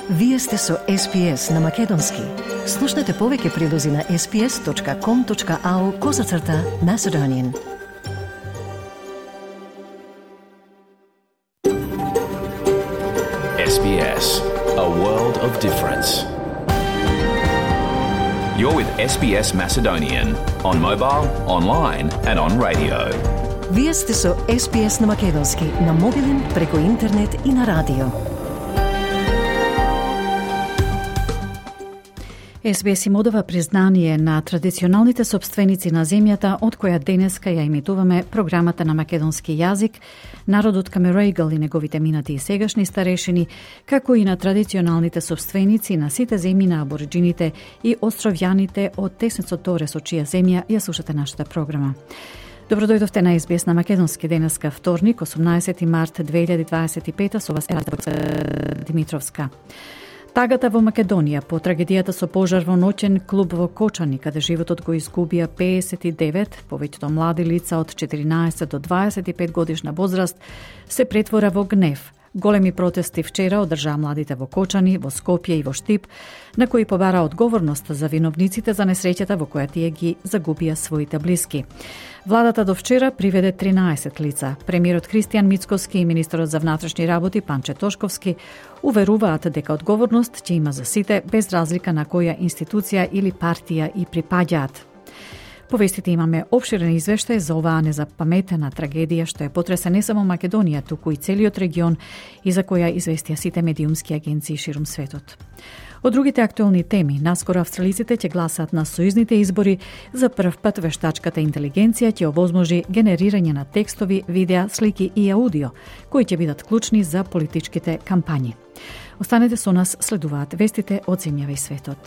Вие сте со SPS на Македонски. Слушнете повеќе прилози на sps.com.au/Macedonian. SBS, a world of difference. You're with SBS Macedonian on mobile, online and on radio. Вие сте со SPS на Македонски на мобилен, преку интернет и на радио. SBS им одава признание на традиционалните собственици на земјата, од која денеска ја имитуваме програмата на македонски јазик, народот Камерејгал и неговите минати и сегашни старешини, како и на традиционалните собственици на сите земји на абориджините и островјаните од Теснецот Торес, од чија земја ја слушате нашата програма. Добро дојдовте на SBS на Македонски денеска вторник, 18 март 2025, со вас Димитровска. Тагата во Македонија по трагедијата со пожар во ноќен клуб во Кочани, каде животот го изгубија 59, повеќето млади лица од 14 до 25 годишна возраст, се претвора во гнев. Големи протести вчера одржаа младите во Кочани, во Скопје и во Штип, на кои побара одговорност за виновниците за несреќата во која тие ги загубија своите блиски. Владата до вчера приведе 13 лица. Премиерот Христијан Мицкоски и министерот за внатрешни работи Панче Тошковски уверуваат дека одговорност ќе има за сите, без разлика на која институција или партија и припаѓаат. По вестите имаме опширен извештај за оваа незапаметена трагедија што ја потресе не само Македонија, туку и целиот регион и за која известија сите медиумски агенции ширум светот. Од другите актуелни теми, наскоро австралиците ќе гласаат на сојузните избори. За прв пат вештачката интелигенција ќе овозможи генерирање на текстови, видеа, слики и аудио, кои ќе бидат клучни за политичките кампањи. Останете со нас, следуваат вестите од земјава и светот.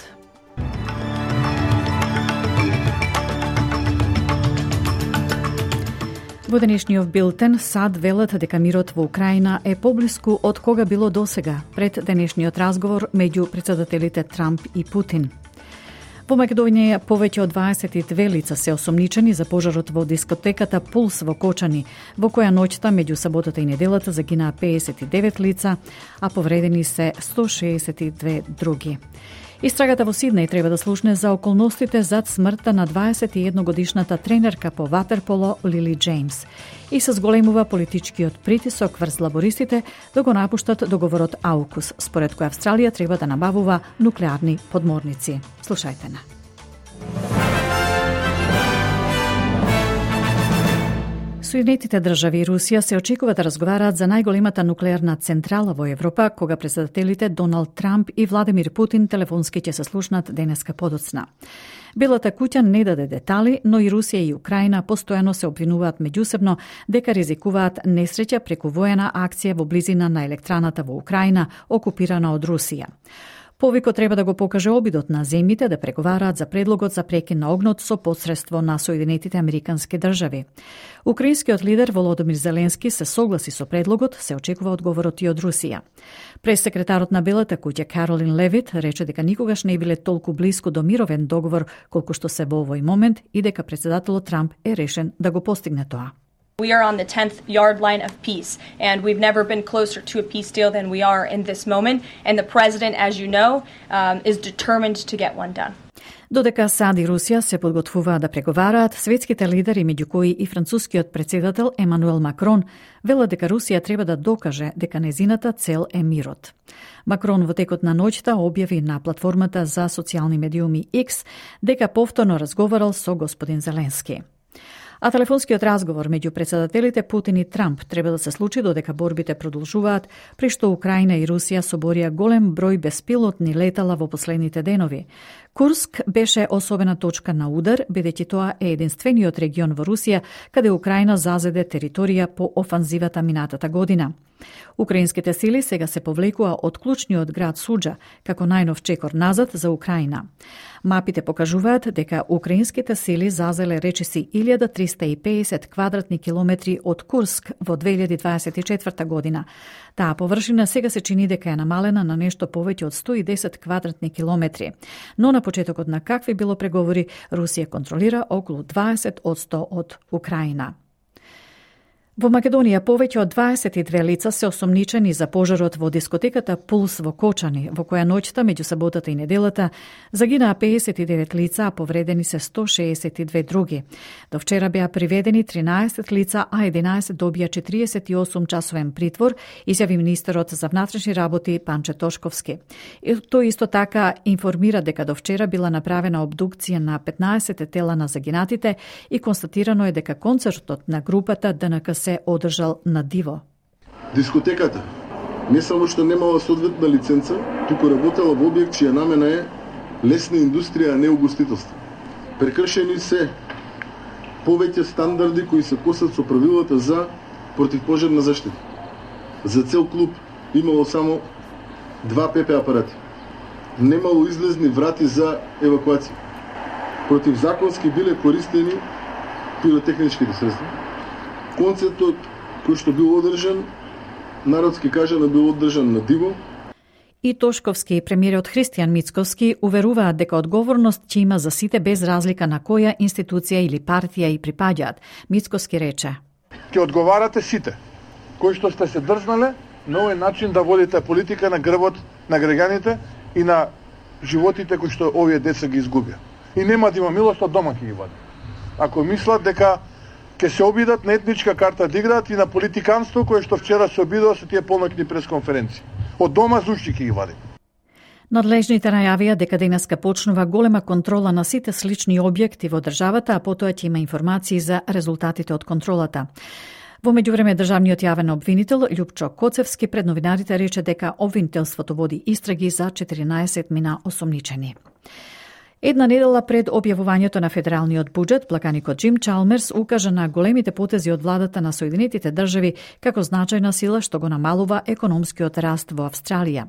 Во денешниот билтен САД велат дека мирот во Украина е поблиску од кога било досега, пред денешниот разговор меѓу председателите Трамп и Путин. Во Македонија повеќе од 22 лица се осомничени за пожарот во дискотеката Пулс во Кочани, во која ноќта меѓу саботата и неделата загинаа 59 лица, а повредени се 162 други. Истрагата во Сиднеј треба да слушне за околностите зад смртта на 21-годишната тренерка по ватерполо Лили Джеймс и се зголемува политичкиот притисок врз лабористите да го напуштат договорот AUKUS, според кој Австралија треба да набавува нуклеарни подморници. Слушајте на. Соединетите држави и Русија се очекува да разговараат за најголемата нуклеарна централа во Европа, кога председателите Доналд Трамп и Владимир Путин телефонски ќе се слушнат денеска подоцна. Белата куќа не даде детали, но и Русија и Украина постојано се обвинуваат меѓусебно дека ризикуваат несреќа преку воена акција во близина на електраната во Украина, окупирана од Русија. Повикот треба да го покаже обидот на земјите да преговараат за предлогот за прекин на огнот со посредство на Соединетите Американски држави. Украинскиот лидер Володомир Зеленски се согласи со предлогот, се очекува одговорот и од Русија. Прес-секретарот на Белата куќа Каролин Левит рече дека никогаш не биле толку блиску до мировен договор колку што се во овој момент и дека председателот Трамп е решен да го постигне тоа. We are on the 10th yard line of peace, and we've never been closer to a peace deal than we are in this moment. And the president, as you know, is determined to get one done. Додека САД и Русија се подготвуваат да преговараат, светските лидери, меѓу кои и францускиот председател Емануел Макрон, велат дека Русија треба да докаже дека незината цел е мирот. Макрон во текот на ноќта објави на платформата за социјални медиуми X дека повторно разговарал со господин Зеленски. А телефонскиот разговор меѓу председателите Путин и Трамп треба да се случи додека борбите продолжуваат, при што Украина и Русија соборија голем број беспилотни летала во последните денови. Курск беше особена точка на удар, бидејќи тоа е единствениот регион во Русија каде Украина зазеде територија по офанзивата минатата година. Украинските сили сега се повлекува од клучниот град Суџа, како најнов чекор назад за Украина. Мапите покажуваат дека украинските сили зазеле речиси 1350 квадратни километри од Курск во 2024 година. Таа површина сега се чини дека е намалена на нешто повеќе од 110 квадратни километри. Но на почетокот на какви било преговори, Русија контролира околу 20% од Украина. Во Македонија повеќе од 22 лица се осомничени за пожарот во дискотеката Пулс во Кочани, во која ноќта меѓу саботата и неделата загинаа 59 лица, а повредени се 162 други. До вчера беа приведени 13 лица, а 11 добија 48 часовен притвор, изјави министерот за внатрешни работи Панче Тошковски. И тој исто така информира дека до вчера била направена обдукција на 15 тела на загинатите и констатирано е дека концертот на групата ДНК се одржал на диво. Дискотеката не само што немала соодветна лиценца, туку работела во објект чија намена е лесна индустрија, а не угостителство. Прекршени се повеќе стандарди кои се косат со правилата за противпожарна заштита. За цел клуб имало само 2 ПП апарати. Немало излезни врати за евакуација. Противзаконски биле користени пиротехничките средства. Концертот кој што бил одржан, народски кажано бил одржан на диво. И Тошковски и премиерот Христијан Мицковски уверуваат дека одговорност ќе има за сите без разлика на која институција или партија и припаѓаат. Мицковски рече: ќе одговарате сите кои што сте се држнале на овој начин да водите политика на грбот на граѓаните и на животите кои што овие деца ги изгубија. И нема да има милост, од дома ќе ги вади. Ако мислат дека ќе се обидат на етничка карта да играат и на политиканство кое што вчера се обидува со тие полноќни пресконференции. Од дома зушти ќе ги вади. Надлежните најавија дека денеска почнува голема контрола на сите слични објекти во државата, а потоа ќе има информации за резултатите од контролата. Во меѓувреме државниот јавен обвинител Љупчо Коцевски пред новинарите рече дека обвинителството води истраги за 14 мина осомничени. Една недела пред објавувањето на федералниот буџет, блаканикот Џим Чалмерс укажа на големите потези од владата на Соединетите држави како значајна сила што го намалува економскиот раст во Австралија.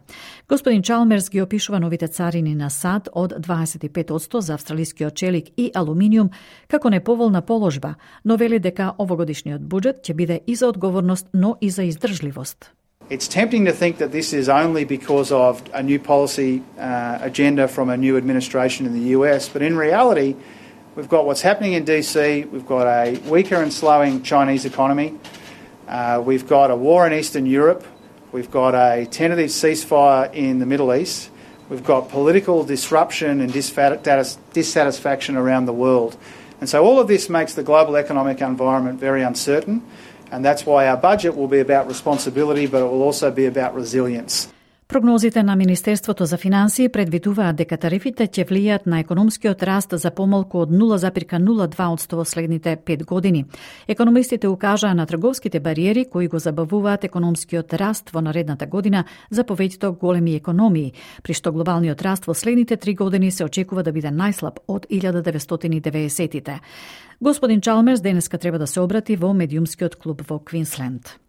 Господин Чалмерс ги опишува новите царини на САД од 25% за австралискиот челик и алуминиум како неповолна положба, но вели дека овогодишниот буџет ќе биде и за одговорност, но и за издржливост. It's tempting to think that this is only because of a new policy agenda from a new administration in the US, but in reality, we've got what's happening in DC, we've got a weaker and slowing Chinese economy, we've got a war in Eastern Europe, we've got a tentative ceasefire in the Middle East, we've got political disruption and dissatisfaction around the world. And so all of this makes the global economic environment very uncertain. And that's why our budget will be about responsibility, but it will also be about resilience. Прогнозите на Министерството за финансии предвидуваат дека тарифите ќе влијаат на економскиот раст за помалку од 0,02% во следните 5 години. Економистите укажаа на трговските бариери кои го забавуваат економскиот раст во наредната година за повеќето големи економии, при што глобалниот раст во следните 3 години се очекува да биде најслаб од 1990-тите. Господин Чалмерс денеска треба да се обрати во медиумскиот клуб во Квинсленд.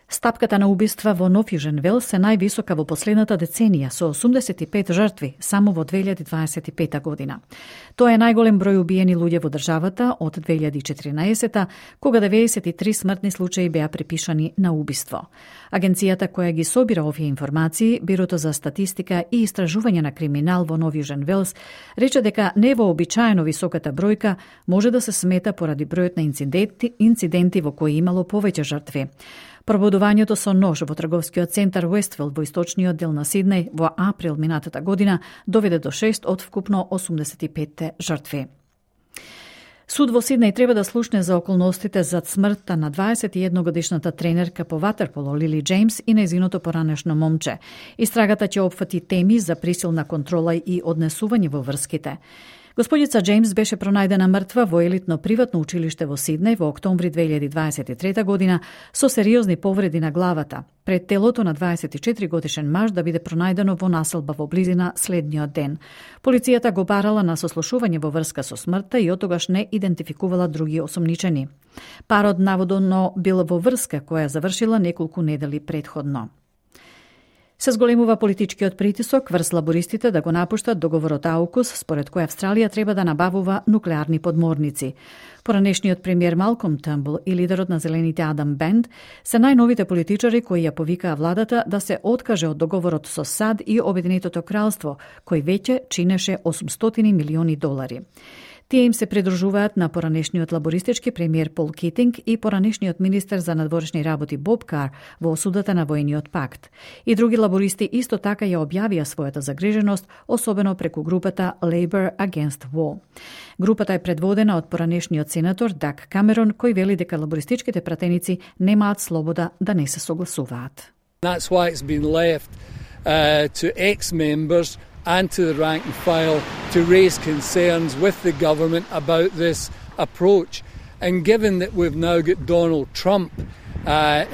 Стапката на убиства во Нов Јужен Велс е највисока во последната деценија, со 85 жртви само во 2025 година. Тоа е најголем број убиени луѓе во државата од 2014, кога 93 смртни случаи беа припишани на убиство. Агенцијата која ги собира овие информации, Бирото за статистика и истражување на криминал во Нов Јужен Велс, рече дека невообичаено високата бројка може да се смета поради бројот на инциденти во кои имало повеќе жртви. Пробудувањето со нож во трговскиот центар Уестфилд во источниот дел на Сиднеј во април минатата година доведе до 6 од вкупно 85 жртви. Суд во Сиднеј треба да слушне за околностите зад смртта на 21-годишната тренерка по ватерполо Лили Джеймс и нејзиното поранешно момче. Истрагата ќе опфати теми за присилна контрола и однесување во врските. Господица Джеймс беше пронајдена мртва во елитно приватно училиште во Сиднеј во октомври 2023 година со сериозни повреди на главата, пред телото на 24 годишен маж да биде пронајдено во населба во близина следниот ден. Полицијата го барала на сослушување во врска со смртта и отогаш не идентификувала други осомничени. Парот наводно бил во врска која завршила неколку недели предходно. Се зголемува политичкиот притисок врз лабористите да го напуштат договорот АУКУС, според кој Австралија треба да набавува нуклеарни подморници. Поранешниот премиер Малком Търнбул и лидерот на Зелените Адам Бенд се најновите политичари кои ја повикаа владата да се откаже од договорот со САД и Обединетото кралство, кој веќе чинеше $800 милиони. Тие им се придружуваат на поранешниот лабористички премиер Пол Китинг и поранешниот министер за надворешни работи Боб Кар во осудата на воениот пакт. И други лабористи исто така ја објавија својата загриженост, особено преку групата Labour Against War. Групата е предводена од поранешниот сенатор Даг Камерон, кој вели дека лабористичките пратеници немаат слобода да не се согласуваат. That's why it's been left to ex-members and to the rank and file to raise concerns with the government about this approach. And given that we've now got Donald Trump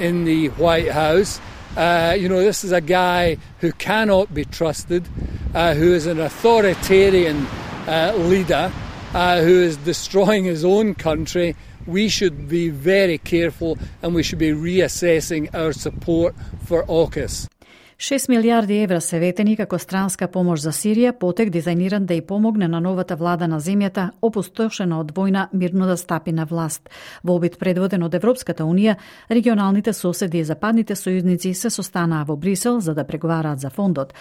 in the White House, this is a guy who cannot be trusted, who is an authoritarian leader, who is destroying his own country. We should be very careful and we should be reassessing our support for AUKUS. 6 милиарди евра се ветени како странска помош за Сирија, потек дизајниран да ја помогне на новата влада на земјата, опустошена од војна, мирно да стапи на власт. Во обид предводен од Европската Унија, регионалните соседи и западните сојузници се состанаа во Брисел за да преговараат за фондот,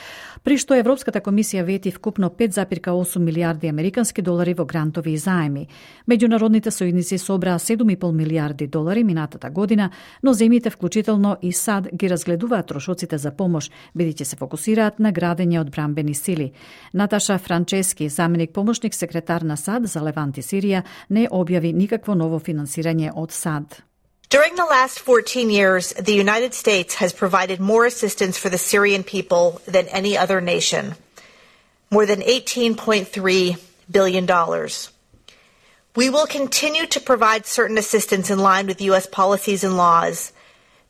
при што Европската комисија вети вкупно 5,8 милиарди американски долари во грантови и заеми. Меѓународните сојузници собраа 7,5 милиарди долари минатата година, но земјите, вклучително и САД, ги разгледуваат трошоците за помош, бидејќи се фокусираат на градење одбранбени сили. Наташа Франчески, заменик помошник секретар на САД за Левант и Сирија, не објави никакво ново финансирање од САД. During the last 14 years, the United States has provided more assistance for the Syrian people than any other nation. More than $18.3 billion. We will continue to provide certain assistance in line with U.S. policies and laws,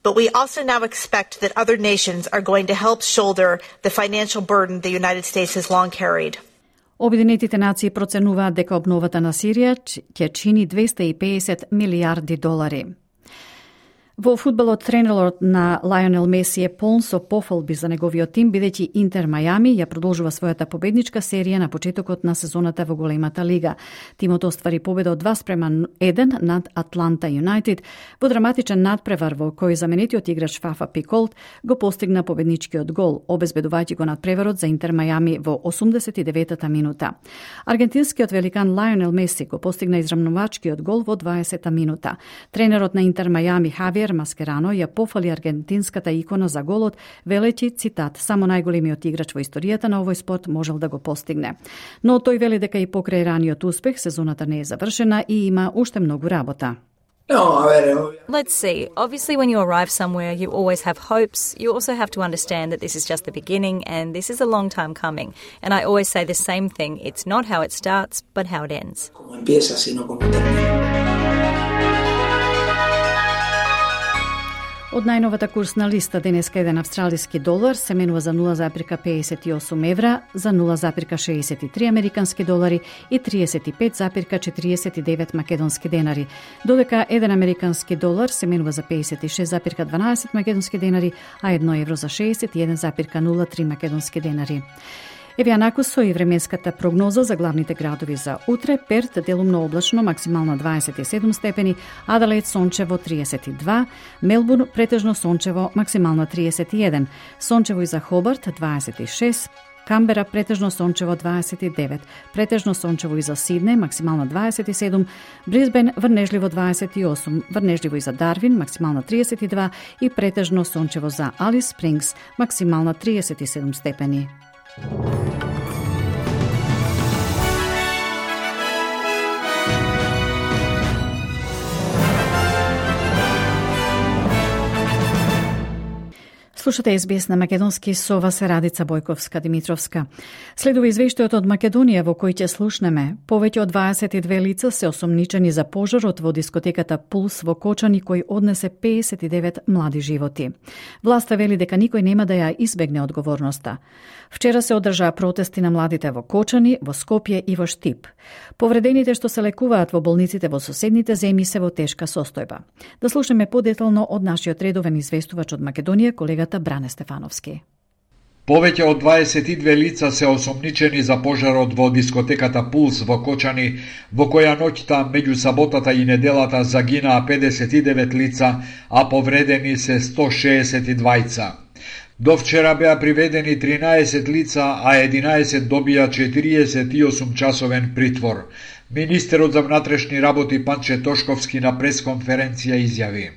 but we also now expect that other nations are going to help shoulder the financial burden the United States has long carried. Обединетите нации проценуваат дека обновата на Сирија ќе чини 250 милиарди долари. Во фудбалот тренерот на Лајонел Меси е полн со пофалби за неговиот тим, бидејќи Интер Мајами ја продолжува својата победничка серија на почетокот на сезоната во големата лига. Тимот оствари победа од 2-1 над Атланта Юнајтед во драматичен надпревар во кој заменетиот играч Фафа Пиколт го постигна победничкиот гол, обезбедувајќи го надпреварот за Интер Мајами во 89-та минута. Аргентинскиот великан Лајонел Меси го постигна израмнувачкиот гол во 20-та минута. Тренерот на Интер Мајами Хавиер Маскерано ја пофали аргентинската икона за голот, велејќи, цитат, само најголемиот играч во историјата на овој спорт можел да го постигне. Но тој вели дека и покрај раниот успех сезоната не е завршена и има уште многу работа. Let's see. Obviously, when you arrive somewhere, you always have hopes. You also have to understand that this is just the beginning and this is a long time coming. And I always say the same thing. It's not how it starts, but how it ends. Од најновата курсна листа денеска еден австралиски долар се менува за 0,58 евра, за 0,63 американски долари и 35,49 македонски денари, додека еден американски долар се менува за 56,12 македонски денари, а 1 евро за 61,03 македонски денари. Еве анаку со и временската прогноза за главните градови за утре. Перт делумно облачно, максимално 27 степени, Аделаид сончево 32, Мелбурн претежно сончево, максимално 31, сончево и за Хобарт 26, Камбера претежно сончево 29, претежно сончево и за Сиднеј, максимално 27, Брисбен врнежливо 28, врнежливо и за Дарвин, максимално 32 и претежно сончево за Алис Спрингс, максимално 37 степени. Слушате СБС на македонски, со вас е Радица Бојковска-Димитровска. Следува извештајот од Македонија во кој ќе слушнеме. Повеќе од 22 лица се осомничени за пожарот во дискотеката Пулс во Кочани кој однесе 59 млади животи. Власта вели дека никој нема да ја избегне одговорноста. Вчера се одржаа протести на младите во Кочани, во Скопје и во Штип. Повредените што се лекуваат во болниците во соседните земји се во тешка состојба. Да слушнеме подетално од нашиот редовен известувач од Македонија, колегата Бране Стефановски. Повеќе од 22 лица се осомничени за пожарот во дискотеката Пулс во Кочани, во која ноќта меѓу саботата и неделата загинаа 59 лица, а повредени се 162. До вчера беа приведени 13 лица, а 11 добија 48 часовен притвор. Министерот за внатрешни работи Панче Тошковски на пресконференција изјави: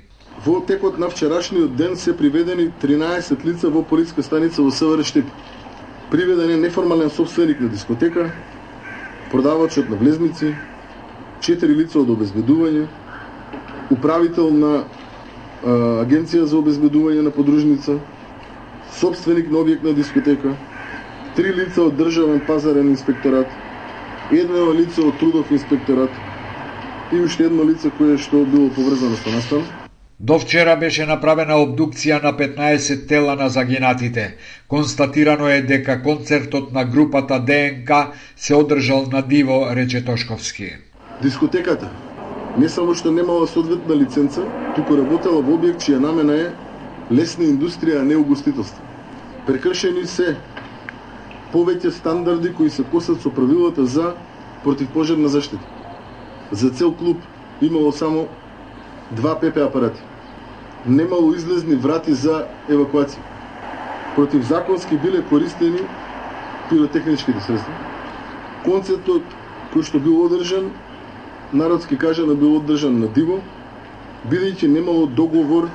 Во текот на вчерашниот ден се приведени 13 лица во полиска станица во СВР Штип. Приведен е неформален собственик на дискотека, продавачот на влезници, 4 лица од обезбедување, управител на агенција за обезбедување на подружница, собственик на објект на дискотека, 3 лица од државен пазарен инспекторат, едно лице од трудов инспекторат и уште едно лице кое што било поврзано со настан. До вчера беше направена обдукција на 15 тела на загинатите. Констатирано е дека концертот на групата ДНК се одржал на диво, рече Тошковски. Дискотеката не само што немала соодветна лиценца, туку работела во објект чија намена е лесна индустрија, а не угостителство. Прекршени се повеќе стандарди кои се косат со правилата за противпожарна заштита. За цел клуб имало само 2 ПП апарати. Немало излезни врати за евакуација. Противзаконски биле користени пиротехничките средства. Концертот кој што бил одржан, народски кажано бил одржан на диво, бидејќи немало договор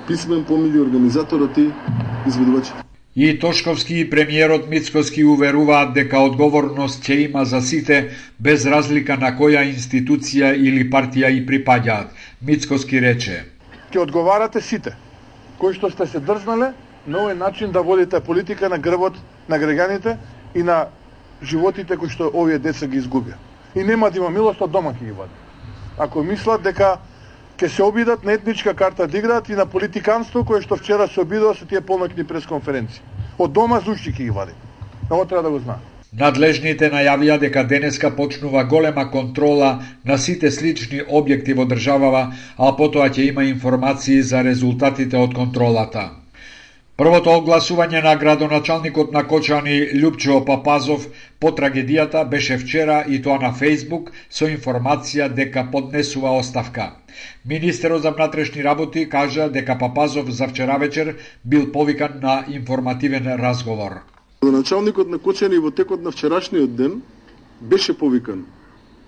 писмен помеѓу организаторот и изведувачите. И Тошковски и премиерот Мицкоски уверуваат дека одговорност ќе има за сите, без разлика на која институција или партија и припаѓаат. Мицкоски рече: Ќе одговарате сите кои што сте се дрзнале на овој начин да водите политика на грбот на граѓаните и на животите кои што овие деца ги изгубија. И нема да има милост, од дома ќе ги вади. Ако мислат дека ќе се обидат на етничка карта да играат и на политиканство кое што вчера се обидува со тие полноќни пресконференции. Од дома зушти ќе ги вади. Ово треба да го знае. Надлежните најавија дека денеска почнува голема контрола на сите слични објекти во државава, а потоа ќе има информации за резултатите од контролата. Првото огласување на градоначалникот на Кочани Љупчо Папазов по трагедијата беше вчера и тоа на Facebook со информација дека поднесува оставка. Министерот за внатрешни работи кажа дека Папазов за вчера вечер бил повикан на информативен разговор. Градоначалникот на Кочани во текот на вчерашниот ден беше повикан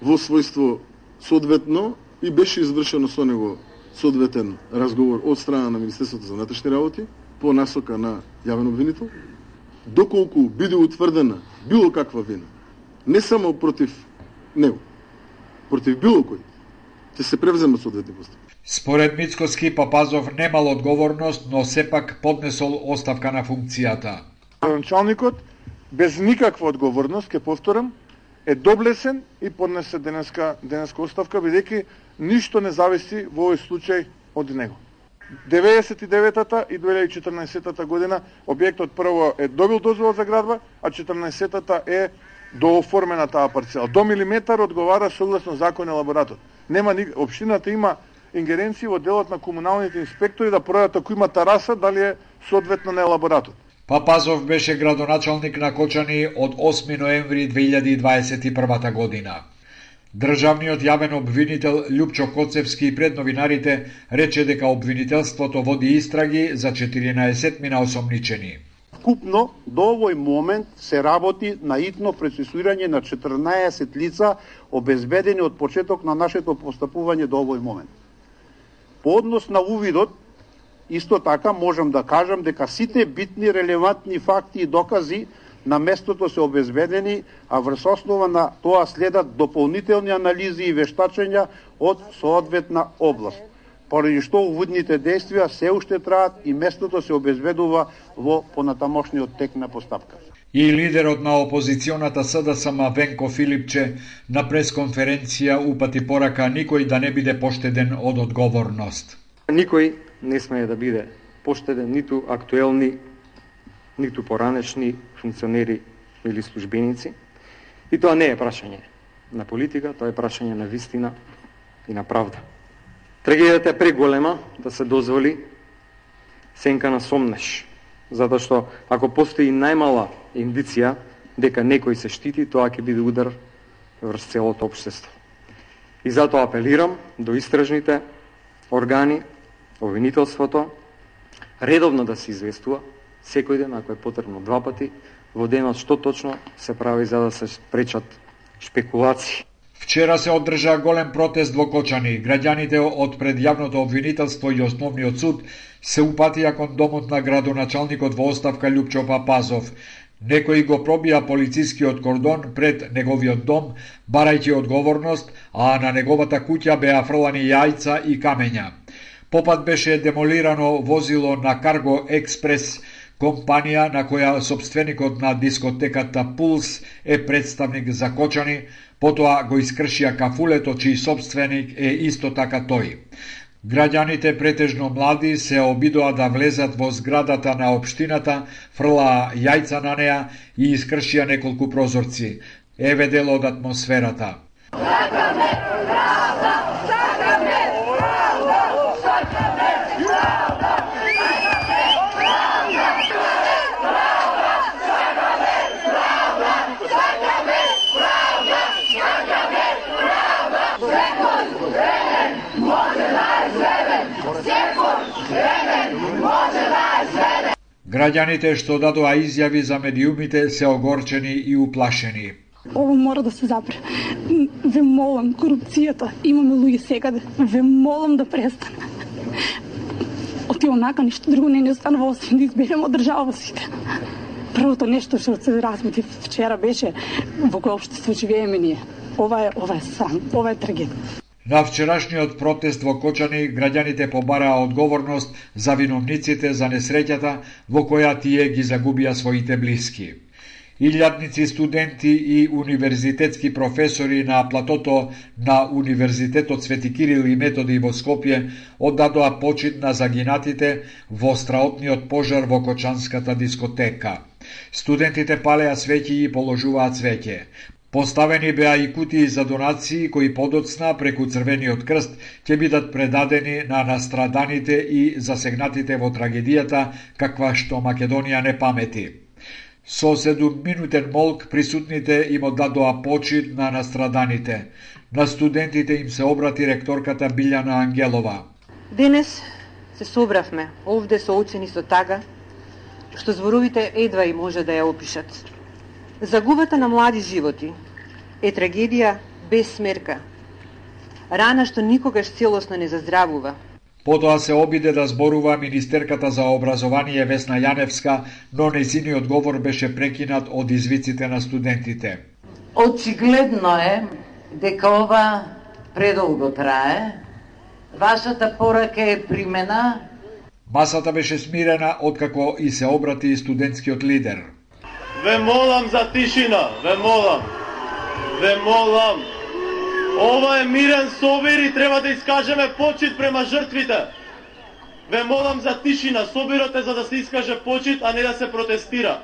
во својство соодветно и беше извршено со него соодветен разговор од страна на Министерството за внатрешни работи по насока на јавен обвинител, доколку биде утврдена било каква вина, не само против него, против било кој, ќе се превземат соодветни постапки. Според Мицкоски, Папазов немал одговорност, но сепак поднесол оставка на функцијата. Началникот без никаква одговорност, ќе повторам, е доблесен и поднесе денеска оставка, бидејќи ништо не зависи во овој случај од него. 99-та и 2014-та година објектот прво е добил дозвола за градба, а 14-та е дооформена таа парцела. До милиметар одговара согласно закон елаборатот. Општината има ингеренции во делот на комуналните инспектори да проверат ако има тараса дали е соодветна на елаборатот. Папазов беше градоначалник на Кочани од 8 ноември 2021 година. Државниот јавен обвинител Љупчо Коцевски пред новинарите рече дека обвинителството води истраги за 14 мина осомничени. Вкупно до овој момент се работи на итно процесуирање на 14 лица обезбедени од почеток на нашето постапување до овој момент. По однос на увидот, исто така можам да кажам дека сите битни релевантни факти и докази на местото се обезбедени, а врз основа на тоа следат дополнителни анализи и вештачења од соодветна област, поради што уводните действија се уште траат и местото се обезбедува во понатамошниот тек на постапка. И лидерот на опозиционата СДСМ Венко Филипче на пресконференција упати порака никој да не биде поштеден од одговорност. Никој не смее да биде поштеден, ниту актуелни, ниту поранешни функционери или службеници. И тоа не е прашање на политика, тоа е прашање на вистина и на правда. Трагедијата е преголема да се дозволи сенка на сомнеш, затоа што ако постои најмала индиција дека некој се штити, тоа ќе биде удар врз целото општество. И затоа апелирам до истражните органи, обвинителството, редовно да се известува секој ден, ако е потребно 2 пати во денот, што точно се прави за да се спречат шпекулации. Вчера се одржа голем протест во Кочани. Граѓаните од предјавното обвинителство и основниот суд се упатија кон домот на градоначалникот во оставка Љупчо Папазов. Некои го пробија полицискиот кордон пред неговиот дом, барајќи одговорност, а на неговата куќа беа фрлани јајца и камења. Попат беше демолирано возило на Карго Експрес, компанија на која собственикот на дискотеката Пулс е представник за Кочани, потоа го искршија кафулето чиј собственик е исто така тој. Граѓаните, претежно млади, се обидоа да влезат во зградата на општината, фрлаа јајца на неа и искршија неколку прозорци. Еве дел од атмосферата. Граѓаните што дадоа изјави за медиумите се огорчени и уплашени. Ово мора да се запре. Ве молам, корупцијата, имаме луѓе секаде. Ве молам да престане. Оти онака ништо друго не останува освен да изберем од држава сите. Првото нешто што се разбути вчера беше во кој општество живееме ние. Ова е срам, ова е трагедија. На вчерашниот протест во Кочани граѓаните побараа одговорност за виновниците за несреќата во која тие ги загубија своите блиски. Илјадници студенти и универзитетски професори на платото на Универзитетот Свети Кирил и Методи во Скопје оддадоа почит на загинатите во страотниот пожар во Кочанската дискотека. Студентите палеа свеќи и положуваа цвеќе. Поставени беа и кутии за донации кои подоцна преку Црвениот крст ќе бидат предадени на настраданите и засегнатите во трагедијата каква што Македонија не памети. Со 7-минутен молк присутните им оддадоа почит на настраданите. На студентите им се обрати ректорката Билјана Ангелова. Денес се собравме овде соочени со тага што зборовите едва и може да ја опишат. Загубата на млади животи е трагедија без смерка. Рана што никогаш целосно не заздравува. Потоа се обиде да зборува министерката за образование Весна Јаневска, но нејзиниот говор беше прекинат од извиците на студентите. Очигледно е дека ова предолго трае. Вашата порака е примена. Масата беше смирена откако и се обрати студентскиот лидер. Ве молам за тишина, ве молам. Ова е мирен собир и треба да искажеме почит према жртвите. Ве молам за тишина, собирот е за да се искаже почит, а не да се протестира.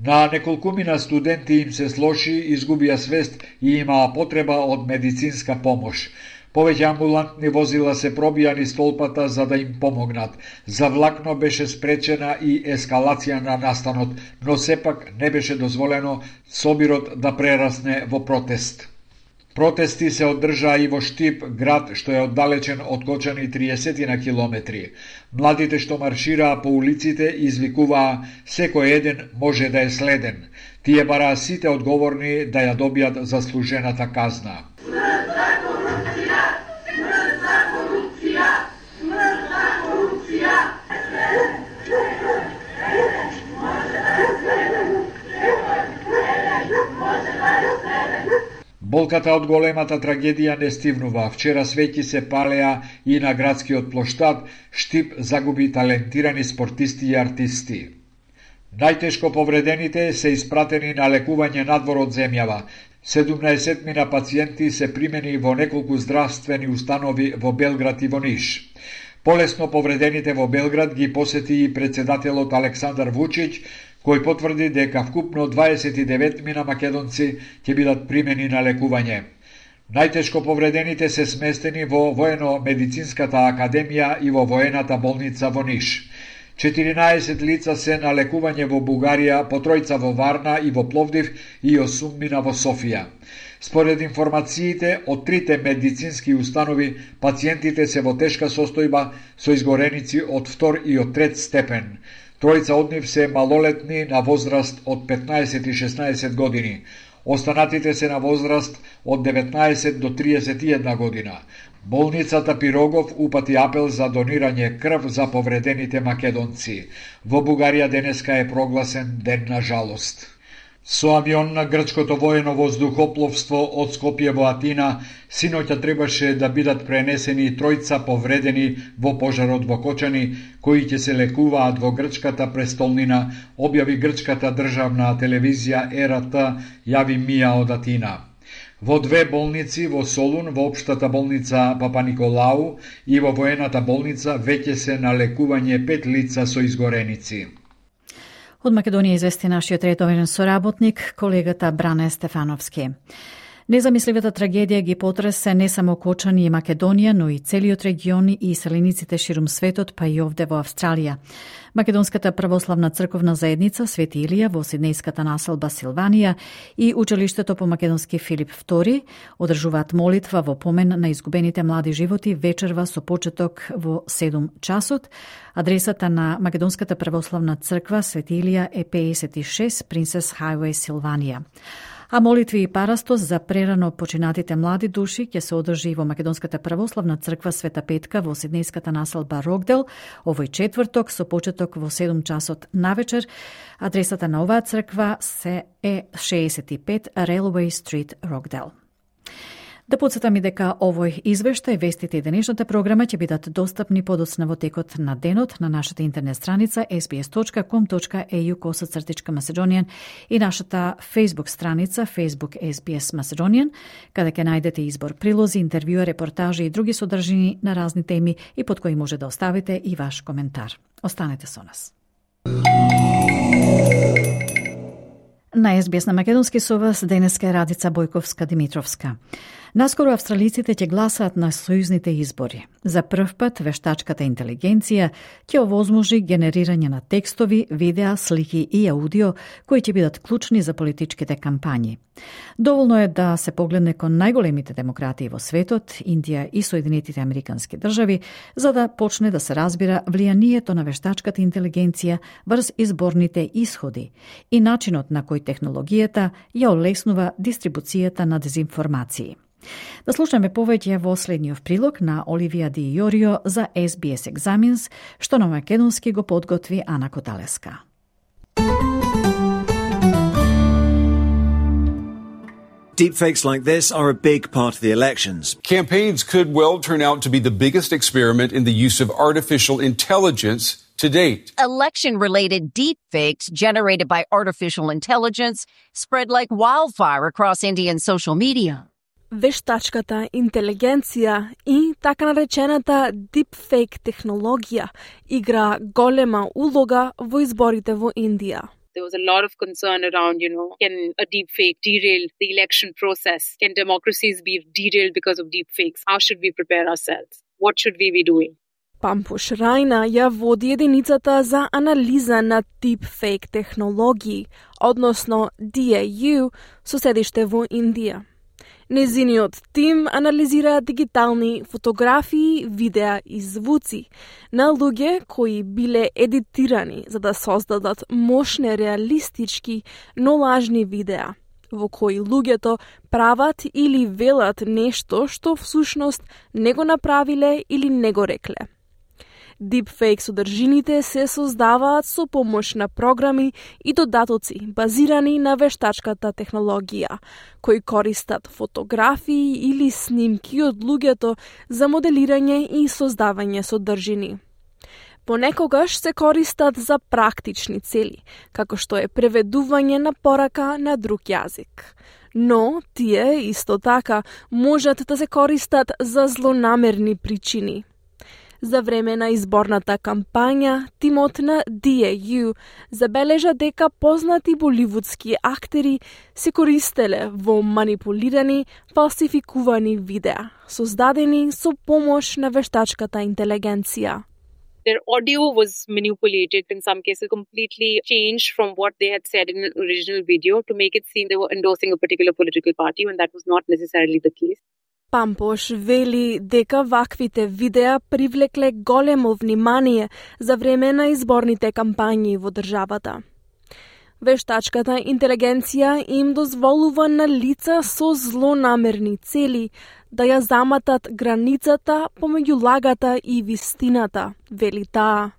На неколкумина студенти им се слоши, изгубија свест и имаа потреба од медицинска помош. Повеќе амбулантни возила се пробија низ столпата за да им помогнат. За влакно беше спречена и ескалација на настанот, но сепак не беше дозволено собирот да прерасне во протест. Протести се одржаа и во Штип, град што е оддалечен од Кочани 30 на километри. Младите што маршираа по улиците извикуваа секој еден може да е следен. Тие бараа сите одговорни да ја добијат заслужената казна. Болката од големата трагедија не стивнува. Вчера свеќи се палеа и на градскиот плоштад. Штип загуби талентирани спортисти и артисти. Најтешко повредените се испратени на лекување надвор од земјава. 17 мина пациенти се примени во неколку здравствени установи во Белград и во Ниш. Полесно повредените во Белград ги посети и председателот Александар Вучиќ, кој потврди дека вкупно 29 мина македонци ќе бидат примени на лекување. Најтешко повредените се сместени во Воено-медицинската академија и во воената болница во Ниш. 14 лица се на лекување во Бугарија, по 3 во Варна и во Пловдив и 8 мина во Софија. Според информациите од 3 медицински установи, пациентите се во тешка состојба со изгореници од 2 и од 3 степен. 3 од нив се малолетни на возраст од 15 и 16 години. Останатите се на возраст од 19 до 31 година. Болницата Пирогов упати апел за донирање крв за повредените македонци. Во Бугарија денеска е прогласен ден на жалост. Со авион на грчкото воено воздухопловство од Скопје во Атина, синоќа требаше да бидат пренесени тројца повредени во пожарот во Кочани, кои ќе се лекуваат во грчката престолнина, објави грчката државна телевизија ЕРТ, јави Мија од Атина. Во две болници, во Солун, во општата болница Папа Николау и во воената болница, веќе се на лекување 5 лица со изгореници. Од Македонија извести нашиот редовен соработник, колегата Бране Стефановски. Незамисливата трагедија ги потресе не само Кочани и Македонија, но и целиот регион и селениците ширум светот, па и овде во Австралија. Македонската православна црковна заедница Свети Илија во Сиднејската населба Силванија и училиштето по македонски Филип II одржуваат молитва во помен на изгубените млади животи вечерва со почеток во 7 часот. Адресата на Македонската православна црква Свети Илија е 56 Принцес Хајвеј, Силванија. А молитви и парастос за прерано починатите млади души ќе се одржи во Македонската православна црква Света Петка во Сиднејската населба Рокдел овој четврток со почеток во 7 часот навечер. Адресата на оваа црква се е 65 Railway Street, Рокдел. Да подсетам и дека овој извештај, вестите и денешната програма ќе бидат достапни подоцна во текот на денот на нашата интернет страница sbs.com.au/Macedonian и нашата Facebook страница Facebook SBS Macedonian, каде ќе најдете избор прилози, интервјуа, репортажи и други содржини на разни теми и под кои може да оставите и ваш коментар. Останете со нас. На SBS на македонски со вас денеска е Радица Бојковска-Димитровска. Наскоро австралиците ќе гласаат на сојузните избори. За прв пат вештачката интелигенција ќе овозможи генерирање на текстови, видеа, слики и аудио кои ќе бидат клучни за политичките кампањи. Доволно е да се погледне кон најголемите демократии во светот, Индија и Соединетите Американски држави, за да почне да се разбира влијанието на вештачката интелигенција врз изборните исходи и начинот на кој технологијата ја олеснува дистрибуцијата на дезинформации. Да слушаме повеќе во следниот прилог на Оливија Ди Јорио за SBS Examines, што на македонски го подготви Ана Коталеска. Deepfakes like this are a big part of the elections. Campaigns could well turn out to be the biggest experiment in the use of artificial intelligence to date. Election-related deepfakes generated by artificial intelligence spread like wildfire across Indian social media. Вештачката интелигенција и така наречената deepfake технологија игра голема улога во изборите во Индија. There was a lot of concern around, can a deepfake derail the election process? Can democracies be derailed because of deepfakes? How should we prepare ourselves? What should we be doing? Пампуш Рајна ја води единицата за анализа на deepfake технологии, односно DAU, со седиште во Индија. Незиниот тим анализира дигитални фотографии, видеа и звуци на луѓе кои биле едитирани за да создадат мощни, реалистички, но лажни видеа, во кои луѓето прават или велат нешто што всушност не го направиле или не го рекле. Deepfake содржините се создаваат со помош на програми и додатоци базирани на вештачката технологија, кои користат фотографии или снимки од луѓето за моделирање и создавање содржини. Понекогаш се користат за практични цели, како што е преведување на порака на друг јазик. Но тие исто така можат да се користат за злонамерни причини. За време на изборната кампања, тимот на DAU забележа дека познати боливудски актери се користеле во манипулирани, фалсификувани видеа, создадени со помош на вештачката интелигенција. Their audio was manipulated, in some cases completely changed from what they had said in the original video to make it seem they were endorsing a particular political party when that was not necessarily the case. Пампош вели дека ваквите видеа привлекле големо внимание за време на изборните кампањи во државата. Вештачката интелигенција им дозволува на лица со злонамерни цели да ја заматат границата помеѓу лагата и вистината, вели таа.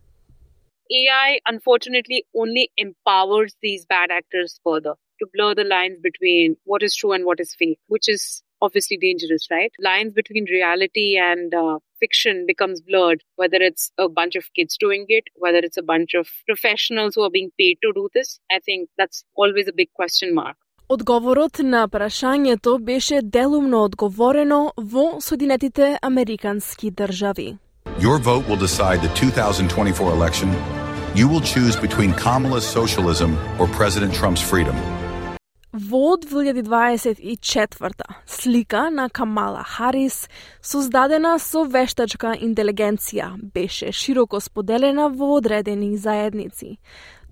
AI, unfortunately, only empowers these bad actors further to blur the lines between what is true and what is fake, which is obviously dangerous, right? Lines between reality and fiction becomes blurred, whether it's a bunch of kids doing it, whether it's a bunch of professionals who are being paid to do this. I think that's always a big question mark. Одговорот на прашањето беше делумно одговорено во Соединетите Американски држави. Your vote will decide the 2024 election. You will choose between Kamala's socialism or President Trump's freedom. Во 2024 слика на Камала Харис, создадена со вештачка интелигенција, беше широко споделена во одредени заедници.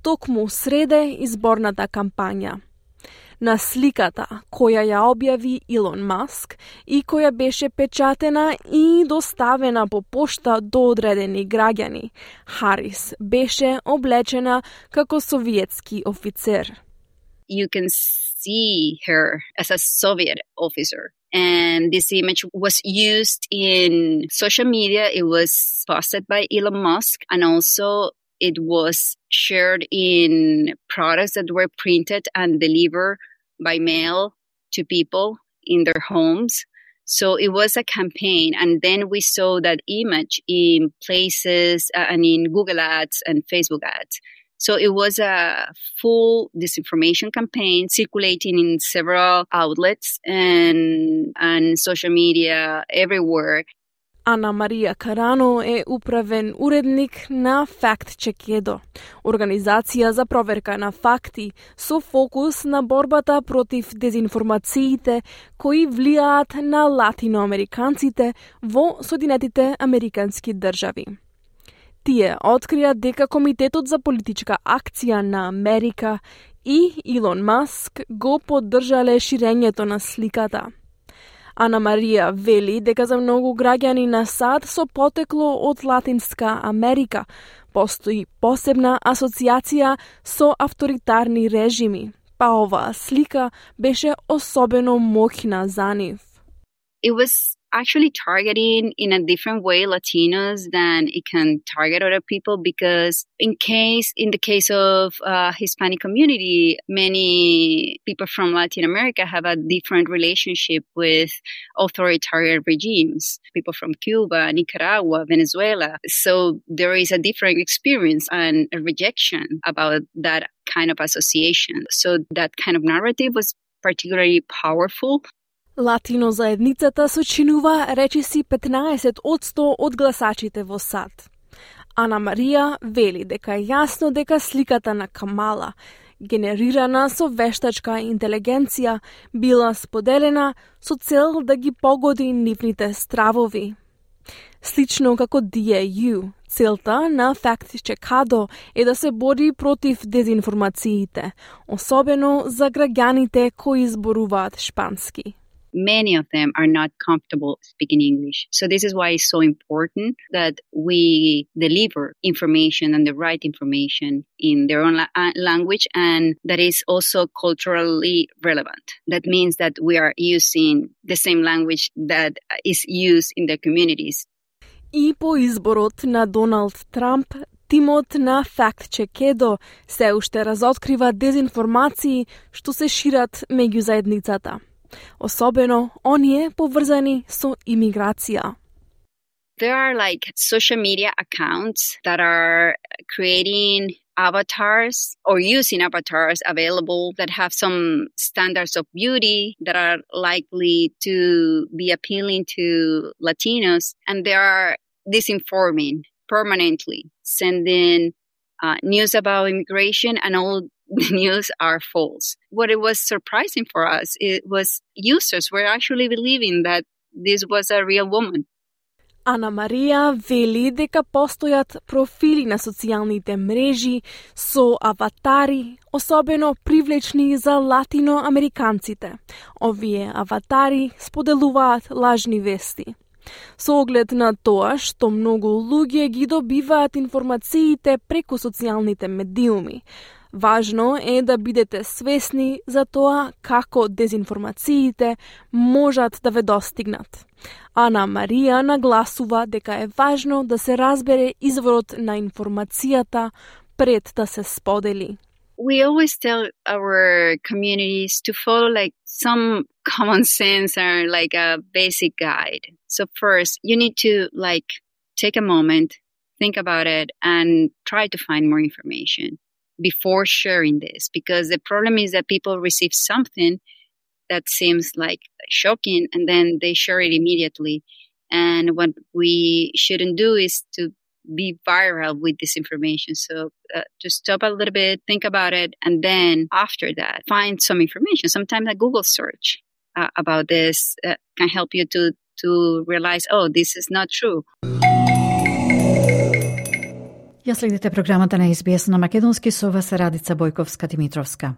Токму среде изборната кампања. На сликата, која ја објави Илон Маск и која беше печатена и доставена по пошта до одредени граѓани, Харис беше облечена како советски офицер. You can see her as a Soviet officer. And this image was used in social media. It was posted by Elon Musk, and also it was shared in products that were printed and delivered by mail to people in their homes. So it was a campaign. And then we saw that image in places and in Google ads and Facebook ads. So it was a full disinformation campaign circulating in several outlets and social media everywhere. Ана Марија Карано е управен уредник на Fact Check Edo, организација за проверка на факти со фокус на борбата против дезинформациите кои влијаат на латиноамериканците во Соединетите Американски држави. Тие открија дека Комитетот за политичка акција на Америка и Илон Маск го поддржале ширењето на сликата. Ана Марија вели дека за многу граѓани на САД со потекло од Латинска Америка постои посебна асоциација со авторитарни режими, па оваа слика беше особено моќна за нив. It was actually targeting in a different way Latinos than it can target other people, because in the case of Hispanic community, many people from Latin America have a different relationship with authoritarian regimes, people from Cuba, Nicaragua, Venezuela. So there is a different experience and a rejection about that kind of association. So that kind of narrative was particularly powerful. Латино заедницата сочинува речиси 15% од гласачите во САД. Ана Марија вели дека е јасно дека сликата на Камала, генерирана со вештачка интелигенција, била споделена со цел да ги погоди нивните стравови. Слично како DAU, целта на Fact Check Edo е да се бори против дезинформациите, особено за граѓаните кои зборуваат шпански. Many of them are not comfortable speaking English. So this is why it's so important that we deliver information and the right information in their own language, and that is also culturally relevant. That means that we are using the same language that is used in their communities. И по изборот на Доналд Трамп, тимот на Fact Check Edo се уште разоткрива дезинформации што се шират меѓу заедницата. Особено оние поврзани со имиграција. There are like social media accounts that are creating avatars or using avatars available that have some standards of beauty that are likely to be appealing to Latinos, and they are disinforming permanently, sending news about immigration, and all the news are false. What it was surprising for us, it was users were actually believing that this was a real woman. Ана Марија вели дека постојат профили на социјалните мрежи со аватари, особено привлечни за латиноамериканците. Овие аватари споделуваат лажни вести. Со оглед на тоа што многу луѓе ги добиваат информациите преку социјалните медиуми, Важно е да бидете свесни за тоа како дезинформациите можат да ве достигнат. Ана Марија нагласува дека е важно да се разбере изворот на информацијата пред да се сподели. We always tell our communities to follow like some common sense or like a basic guide. So first, you need to like take a moment, think about it, and try to find more information before sharing this. Because the problem is that people receive something that seems like shocking and then they share it immediately. And what we shouldn't do is to be viral with this information. So just stop a little bit, think about it, and then after that, find some information. Sometimes a Google search about this can help you to realize, oh, this is not true. Ја следите програмата на SBS на македонски со вас Радица Бојковска-Димитровска.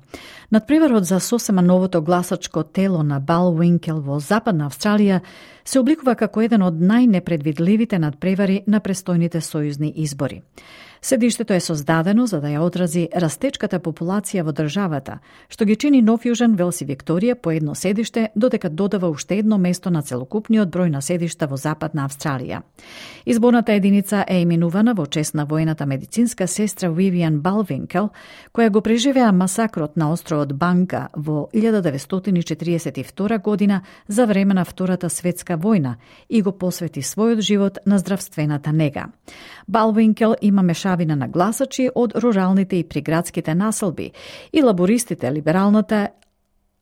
Надпреварот за сосема новото гласачко тело на Балвинкел во Западна Австралија се обликува како еден од најнепредвидливите надпревари на престојните сојузни избори. Седиштето е создадено за да ја одрази растечката популација во државата, што ги чини Нов Јужен, Велс и Викторија по едно седиште, додека додава уште едно место на целокупниот број на седишта во Западна Австралија. Изборната единица е именувана во чест на воената медицинска сестра Вивиан Балвинкел, која го преживеа масакрот на островот Банга во 1942 година за време на Втората светска војна и го посвети својот живот на здравствената нега. Балвинкел има мешавина на гласачи од руралните и приградските населби и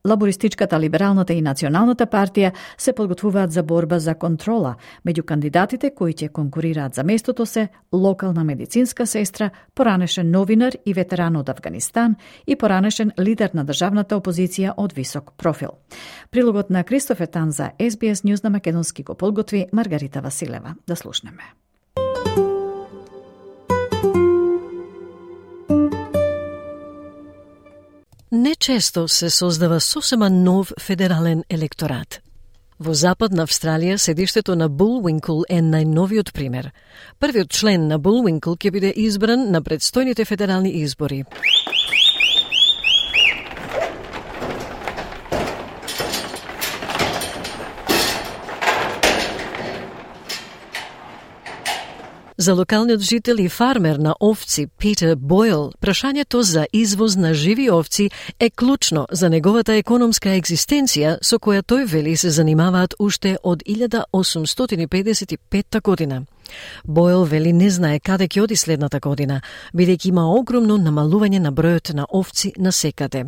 Лабористичката, либералната и националната партија се подготвуваат за борба за контрола меѓу кандидатите кои ќе конкурираат за местото се локална медицинска сестра, поранешен новинар и ветеран од Авганистан и поранешен лидер на државната опозиција од висок профил. Прилогот на Кристофер Тан за SBS News на македонски го подготви Маргарита Василева. Да слушнеме. Нечесто се создава сосема нов федерален електорат. Во Западна Австралија седиштето на Булвинкл е најновиот пример. Првиот член на Булвинкл ќе биде избран на предстојните федерални избори. За локалниот жител и фармер на овци Питер Бойл, прашањето за извоз на живи овци е клучно за неговата економска екзистенција со која тој вели се занимаваат уште од 1855 година. Бойл вели не знае каде ќе оди следната година, бидејќи има огромно намалување на бројот на овци насекаде.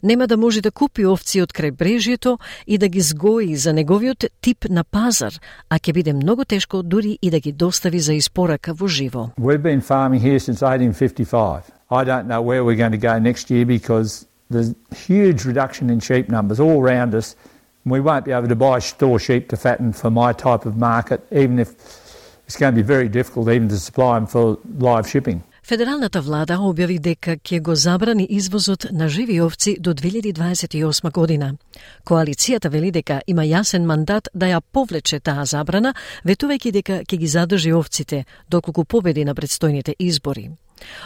Нема да може да купи овци од крајбрежјето и да ги згои за неговиот тип на пазар, а ќе биде многу тешко дури и да ги достави за испорака во живо. We've been farming here since 1855. I don't know where we're going to go next year because there's huge reduction in sheep numbers all around us. We won't be able to buy store sheep to fatten for my type of market, even if it's going to be very difficult even to supply them for live shipping. Федералната влада објави дека ќе го забрани извозот на живи овци до 2028 година. Коалицијата вели дека има јасен мандат да ја повлече таа забрана, ветувајќи дека ќе ги задржи овците доколку победи на предстојните избори.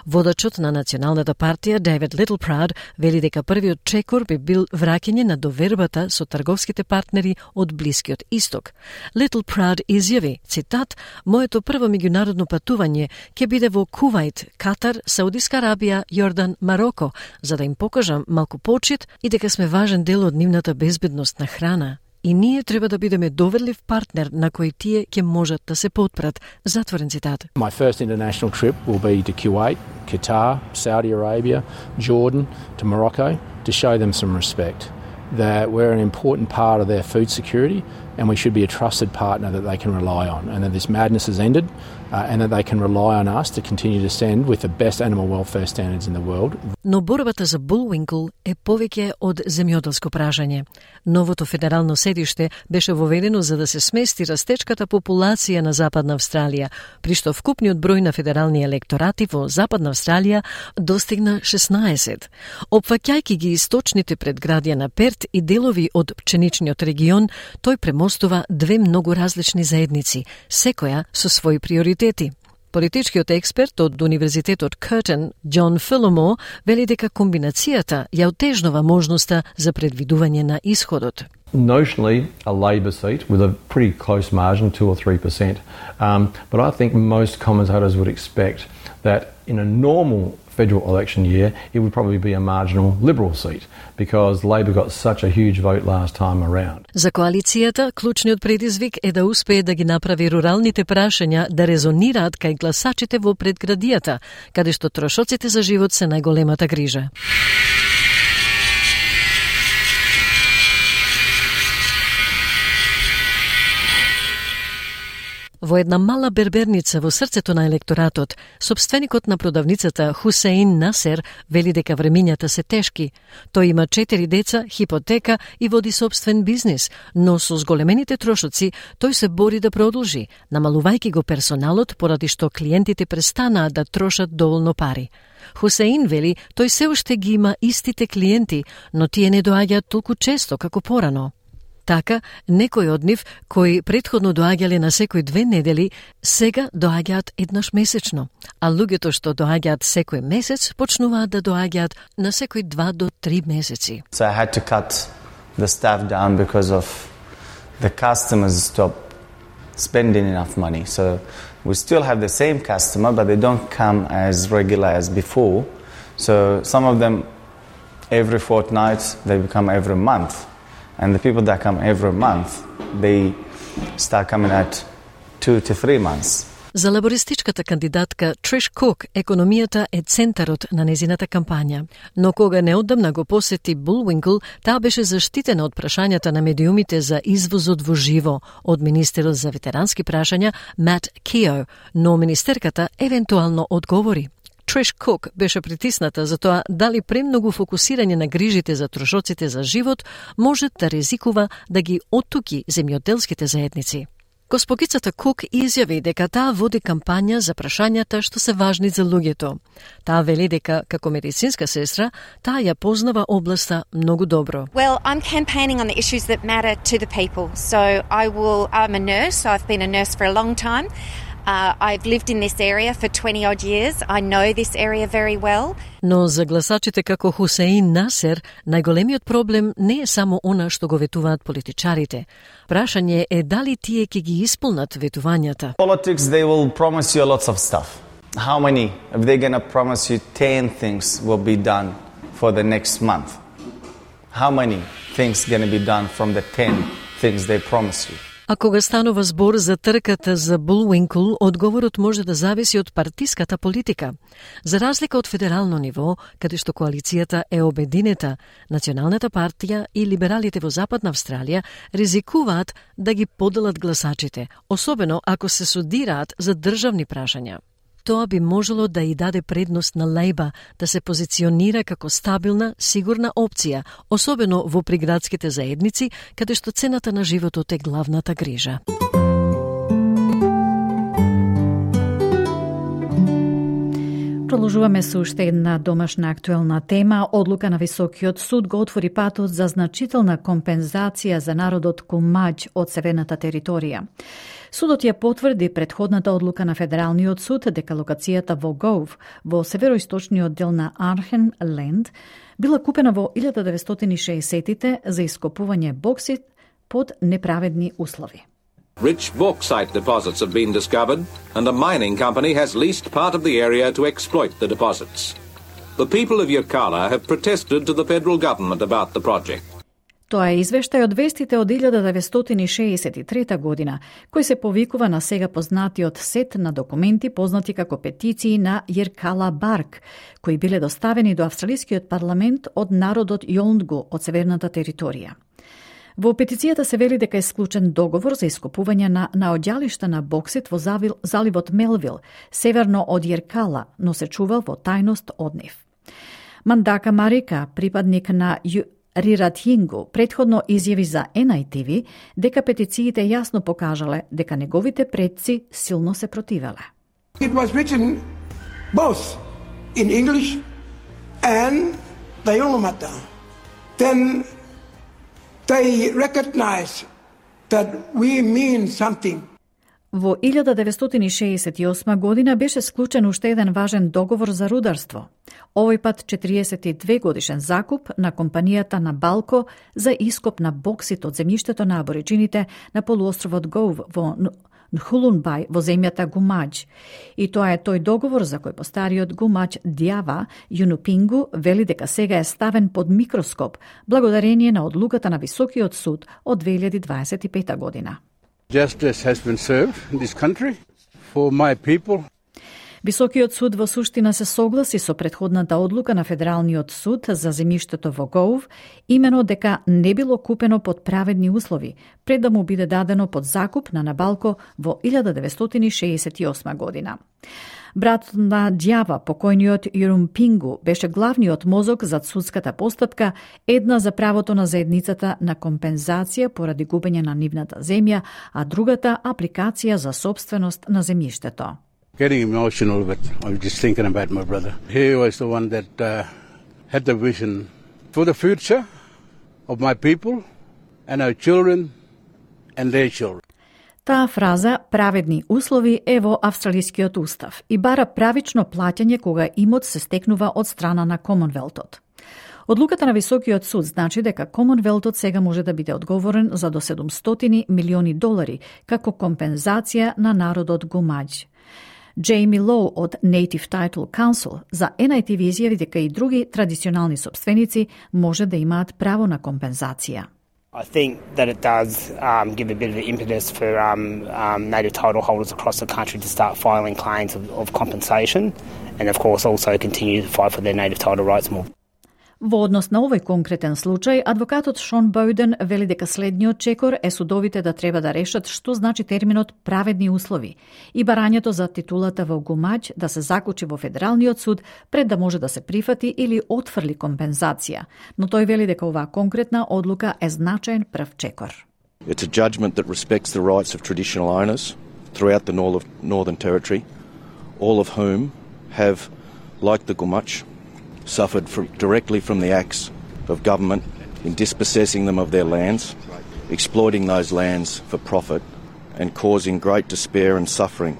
Водачот на Националната партија Дейвид Литлпрауд вели дека првиот чекор би бил враќање на довербата со трговските партнери од Блискиот Исток. Литлпрауд изјави, цитат, "Моето прво меѓународно патување ќе биде во Кувајт, Катар, Саудиска Арабија, Јордан, Мароко, за да им покажам малку почит и дека сме важен дел од нивната безбедност на храна. И ние треба да бидеме доверлив партнер на кој тие ќе можат да се потпрат." Затворен цитат. My first international trip will be to Kuwait, Qatar, Saudi Arabia, Jordan, to Morocco to show them some respect. That we're an important part of their food security and we should be a trusted partner that they can rely on, and that this madness has ended and that they can rely on us to continue to send with the best animal welfare standards in the world. Но борбата за Булвинкл е повеќе од земјоделско пражање. Новото федерално седиште беше воведено за да се смести растечката популација на Западна Австралија, при што вкупниот број на федерални електорати во Западна Австралија достигна 16. Опфаќајќи ги источните предградија на Перт и делови од пченичниот регион, тој премостува две многу различни заедници, секоја со своји приоритети. Политичкиот експерт од Универзитетот Curtin, Џон Филомор, вели дека комбинацијата ја отежнува можноста за предвидување на исходот. Notionally, a Labor seat with a pretty close margin, 2 or 3%. But I think most commentators would expect that in a normal federal election year, it would probably be a marginal Liberal seat because Labor got such a huge vote last time around. За коалицијата, клучниот предизвик е да успее да ги направи руралните прашања да резонираат кај гласачите во предградијата, каде што трошоците за живот се најголемата грижа. Во една мала берберница во срцето на електоратот, сопственикот на продавницата Хусеин Насер вели дека времињата се тешки. Тој има 4 деца, хипотека и води сопствен бизнис, но со зголемените трошоци тој се бори да продолжи, намалувајќи го персоналот поради што клиентите престанаа да трошат доволно пари. Хусеин вели тој се уште ги има истите клиенти, но тие не доаѓаат толку често како порано. Така, некои од нив, кои претходно доаѓале на секој 2 недели, сега доаѓаат еднаш месечно, а луѓето што доаѓаат секој месец, почнуваат да доаѓаат на секој 2 до 3 месеци. So I had to cut the staff down because of the customers stopped spending enough money. So we still have the same customer, but they don't come as regular as before. So some of them every fortnight, they become every month. And the people that come every month, they start coming at 2 to 3 months. За лабористичката кандидатка Триш Кук, економијата е центарот на незината кампања. Но кога неодамна го посети Булвинкл, таа беше заштитена од прашањата на медиумите за извозот во живо од министерот за ветерански прашања Мат Кио, но министерката евентуално одговори. Триш Кук беше притисната за тоа дали премногу фокусирање на грижите за трошоците за живот може да ризикува да ги оттуки земјоделските заедници. Госпогицата Кук изјави дека таа води кампања за прашањата што се важни за луѓето. Таа вели дека како медицинска сестра таа ја познава областа многу добро. Well, I'm campaigning on the issues that matter to the people. So I'm a nurse. I've been a nurse for a long time. I've lived in this area for 20 odd years. I know this area very well. Но за гласачите како Хусеин Насер, најголемиот проблем не е само она што го ветуваат политичарите. Прашање е дали тие ќе ги исполнат ветувањата. Politics, they will promise you lots of stuff. How many? If they're going to promise you 10 things will be done for the next month. How many things going to be done from the 10 things they promise you? А кога станува збор за трката за Булвинкл, одговорот може да зависи од партиската политика. За разлика од федерално ниво, каде што коалицијата е обединета, Националната партија и либералите во Западна Австралија ризикуваат да ги поделат гласачите, особено ако се судираат за државни прашања. Тоа би можело да и даде предност на Лейба да се позиционира како стабилна, сигурна опција, особено во приградските заедници, каде што цената на животот е главната грижа. Продолжуваме со уште една домашна актуелна тема. Одлука на Високиот суд го отвори патот за значителна компензација за народот Кумаџ од северната територија. Судот ја потврди претходната одлука на Федералниот суд дека локацијата во Гов, во североисточниот дел на Архен Ленд, била купена во 1960-тите за ископување боксит под неправедни услови. Rich bauxite deposits have been discovered, and a mining company has leased part of the area to exploit the deposits. The people of Yirrkala have protested to the federal government about the project. Тоа е извештај од вестите од 1963 година, кој се повикува на сега познатиот сет на документи познати како петиции на Йирркала Барк, кои биле доставени до австралискиот парламент од народот Јолндгу од северната територија. Во петицијата се вели дека е склучен договор за ископување на наоѓалишта на боксит во заливот Мелвил, северно од Йирркала, но се чувал во тајност од нив. Мандака Марика, припадник на Риратјингу, претходно изјави за NITV дека петициите јасно покажале дека неговите предци силно се противеле. It was written both in English and the Yolngamata. Then they recognize that we mean something. Во 1968 година беше склучен уште еден важен договор за рударство. Овој пат 42 годишен закуп на компанијата Набалко за ископ на боксит од земјиштето на абориджините на полуостровот Гов во Нхулунбај во земјата Гумаџ. И тоа е тој договор за кој постариот Гумаџ Дјава Јунупингу вели дека сега е ставен под микроскоп благодарение на одлуката на Високиот суд од 2025 година. Justice has been served in this country for my people. Високиот суд во суштина се согласи со претходната одлука на Федералниот суд за земјиштето во Гоув, имено дека не било купено под праведни услови, пред да му биде дадено под закуп на Набалко во 1968 година. Брат на Дјава, покојниот Јурумпингу, беше главниот мозок зад судската постапка, една за правото на заедницата на компензација поради губење на нивната земја, а другата апликација за собственост на земјиштето. Getting emotional, but I'm just thinking about my brother. He was the one that had the vision for the future of my people and our children and their children. Таа фраза «праведни услови» е во австралискиот устав и бара правично плаќање кога имот се стекнува од страна на Комонвелтот. Одлуката на Високиот суд значи дека Комонвелтот сега може да биде одговорен за до $700 милиони како компензација на народот Гумаџ. Джейми Лоу од Native Title Council за NITV изјави дека и други традиционални собственици може да имаат право на компензација. I think that it does give a bit of an impetus for native title holders across the country to start filing claims of compensation and of course also continue to fight for their native title rights more. Во однос на овој конкретен случај, адвокатот Шон Бојден вели дека следниот чекор е судовите да треба да решат што значи терминот праведни услови и барањето за титулата во Гумаџ да се закучи во Федералниот суд пред да може да се прифати или отфрли компензација, но тој вели дека оваа конкретна одлука е значаен прв чекор. It's a judgment that respects the rights of traditional owners throughout the Northern Territory, all of whom have, like the Gumach, suffered directly from the acts of government in dispossessing them of their lands, exploiting those lands for profit, and causing great despair and suffering.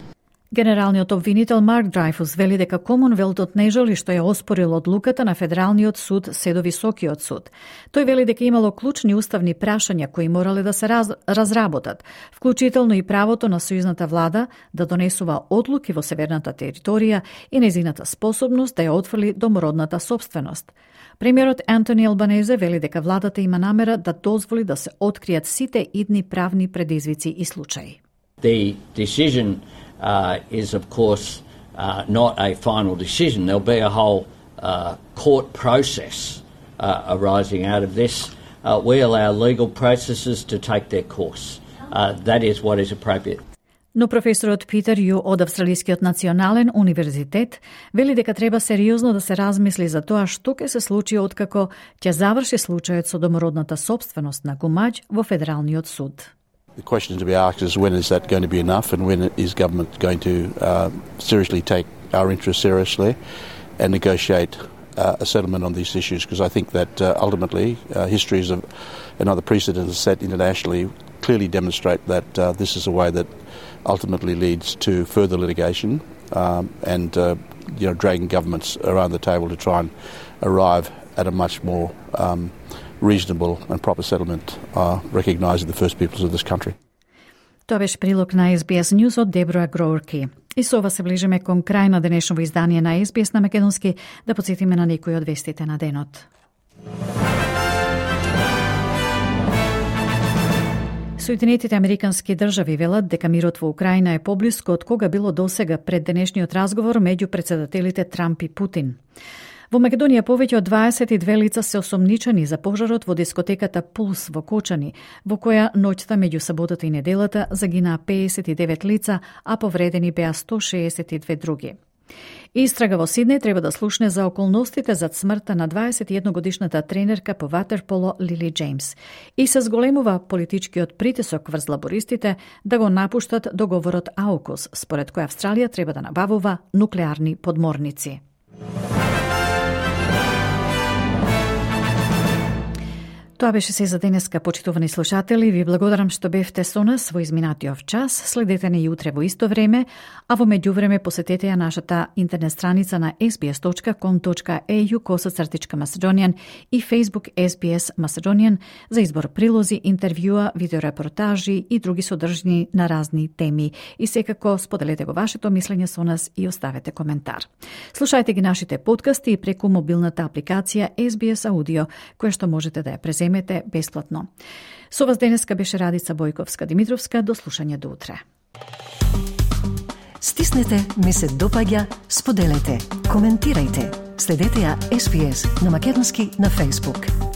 Генералниот обвинител Марк Драйфус вели дека Комонвелтот не жали што ја оспорил одлуката на Федералниот суд се до Високиот суд. Тој вели дека имало клучни уставни прашања кои морале да се разработат, вклучително и правото на сојузната влада да донесува одлуки во северната територија и незината способност да ја отфрли домородната собственост. Премиерот Антони Албанезе вели дека владата има намера да дозволи да се откријат сите идни правни предизвици и случаи. The decision is, of course, not a final decision. There'll be a whole court process arising out of this. We allow legal processes to take their course. That is what is appropriate. Но професорот Питер Ю од Австралискиот национален универзитет вели дека треба сериозно да се размисли за тоа што ќе се случи откако ќе заврши случајот со домородната собственост на Гумаџ во Федералниот суд. The question to be asked is when is that going to be enough and when is government going to seriously take our interests seriously and negotiate a settlement on these issues, because I think that ultimately histories of and other precedents set internationally clearly demonstrate that this is a way that ultimately leads to further litigation and dragging governments around the table to try and arrive at a much more reasonable and proper settlement, recognising the First Peoples of this country. Тоа беше прилог на SBS News од Дебора Гроурки. И со ова се ближиме кон крај на денешново издание на SBS на македонски, да потсетиме на некои од вестите на денот. Соединетите американски држави велат дека мирот во Украина е поблиско од кога било досега пред денешниот разговор меѓу претседателите Трамп и Путин. Во Македонија повеќе од 22 лица се осомничени за пожарот во дискотеката Пулс во Кочани, во која ноќта меѓу саботата и неделата загинаа 59 лица, а повредени беа 162 други. Истрага во Сиднеј треба да слушне за околностите зад смртта на 21-годишната тренерка по ватерполо Лили Джеймс и се зголемува политичкиот притисок врз лабористите да го напуштат договорот AUKUS, според кој Австралија треба да набавува нуклеарни подморници. Тоа беше се за денеска, почитувани слушатели. Ви благодарам што бевте со нас во изминатиот час. Следете не и утре во исто време, а во меѓувреме посетете ја нашата интернет страница на sbs.com.au/Macedonian и Facebook SBS Macedonian за избор прилози, интервјуа, видеорепортажи и други содржини на разни теми. И секако споделете го вашето мислење со нас и оставете коментар. Слушајте ги нашите подкасти преку мобилната апликација SBS Audio, која што можете да ја преземете бесплатно. Со вас денеска беше Радица Бојковска-Димитровска. До слушање до утре. Стиснете, ми се допаѓа, споделете, коментирајте. Следете ја SBS на македонски на Facebook.